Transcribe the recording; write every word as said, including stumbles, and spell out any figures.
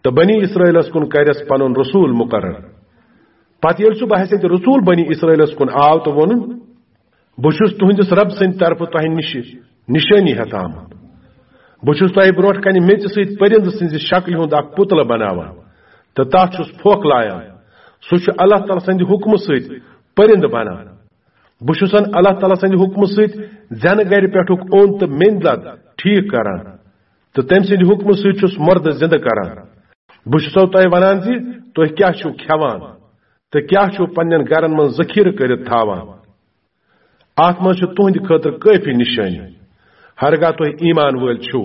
تہٕ بنی اسرائیلس کُن کرٮ۪س پنُن رسول مقرر۔ پتہٕ ییٚلہِ سُہ بحیثیت رسول بنی اسرائیلس کُن آو تہٕ ووٚنُن، بہٕ چھُس تُہنٛدِس رب سٕنٛدِ طرفہٕ تۄہہِ نِش نِشٲنی ہٮ۪تھ آمُت۔ بہٕ چھُس تۄہہِ برونٛٹھ کنہِ میٚژِ سۭتۍ پٔرِندٕ سٕنٛزِ شکلہِ ہُنٛد اکھ پُتلہٕ بناوان تہٕ تتھ چھُس پھۄکھ لایان۔ سُہ چھُ اللہ تعالیٰ سٕنٛدِ حُکمہٕ سۭتۍ پٔرِندٕ بنان۔ بہٕ چھُسن اللہ تعالیٰ سٕنٛدِ حُکمہٕ سۭتۍ زٮ۪نہٕ گرِ پٮ۪ٹھُک اوٚن تہٕ میٚنٛدۍ لد ٹھیٖک کران تہٕ تٔمۍ سٕنٛدِ حُکمہٕ سۭتۍ چھُس مردٕ زِندٕ کران۔ بہٕ چھُسو تۄہہِ ونان زِ تُہۍ کیٛاہ چھِو کھٮ۪وان تہٕ کیٛاہ چھِو پننٮ۪ن گرن منٛز ذخیرٕ کٔرِتھ تھاوان۔ اتھ منٛز چھِ تُہنٛدِ خٲطرٕ کٲفی نِشٲنی، ہرگاہ تُہۍ ایمان وٲلۍ چھِو۔